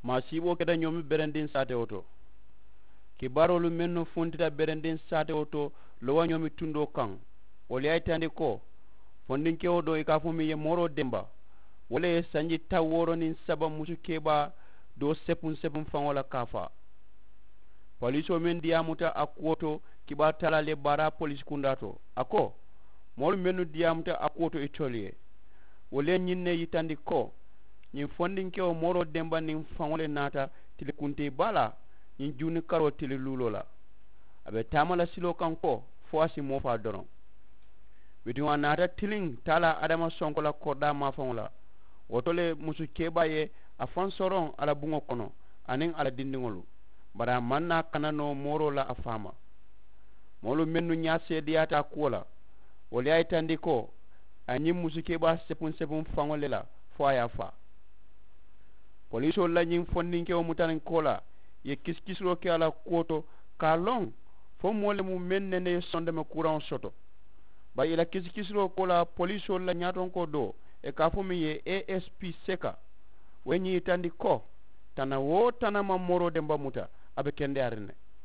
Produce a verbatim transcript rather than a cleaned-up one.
Maasiiboo keta ñoomi berendiŋ saatewo to. Kibaaroolu mennu funtita berendiŋ saatewo to lowa ñoomi tundoo kaŋ, wolu ye a yitandi ko fondinkewo doo i ka a fo miŋ ye mooroo demba, wo le ye sanji taŋ wooro niŋ saba musu kebaa doo sepuŋ sepuŋ faŋo la ka a faa. Poliisoo meŋ diyaamuta a kuwo to, kibaaru taalaalu ye baaraa poliisi kundaa to, a ko moolu mennu diyaamuta a kuwo to itolu ye, wolu ye ñiŋ ne yitandi ko ñiŋ fondinkewo mooroo demba niŋ faŋo le naata tili kuntii baa la ñiŋ juuni karoo tili luuloo la. A be taama la siloo kaŋ ko fo a si moo faa doroŋ. Bituŋ a naata tiliŋ taalaa adama sonko la koridaa maafaŋo la. Wo to le musu kebaa ye a faŋ soroŋ a la buŋo kono aniŋ a la dindiŋolu, bari a maŋ naa kana noo mooroo la a faama. Moolu mennu ñaa seedeyaata a kuwo la, wolu ye a yitandi ko a ye ñiŋ musu kebaa sepuŋ sepuŋ faŋo le la fo a ye a faa. Poliisoolu la ñiŋ fondinkewo mutariŋ koolaa ye kisikisiroo ke a la kuwo to ka a loŋ fo moo le mu meŋ nene ye sondome kuuraŋo soto. Bari i la kisikisiroo koolaa poliisoolu la ñaatonkoo doo, i ka a fo meŋ ye asp seka, wo ye ñiŋ yitandi ko tana wo tana maŋ mooroo demba muta, a be kendeyaariŋ ne.